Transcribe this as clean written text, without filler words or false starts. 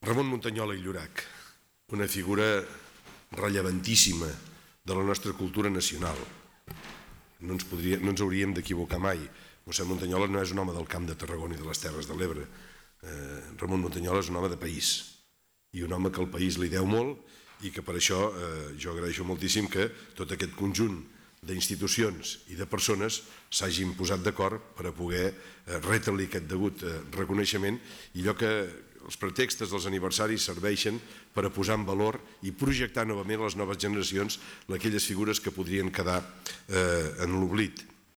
Ramon Muntanyola i Llorach, una figura rellevantíssima de la nostra cultura nacional. No ens hauríem d'equivocar mai. Mossèn Muntanyola no és un home del Camp de Tarragona i de les Terres de l'Ebre. Ramon Muntanyola és un home de país i un home que el país li deu molt i que per això jo agraeixo moltíssim que tot aquest conjunt d'institucions i de persones s'hagin posat d'acord per a poder retre-li aquest degut reconeixement i allò que els pretextes dels aniversaris serveixen per a posar en valor i projectar novament a les noves generacions aquelles figures que podrien quedar en l'oblit.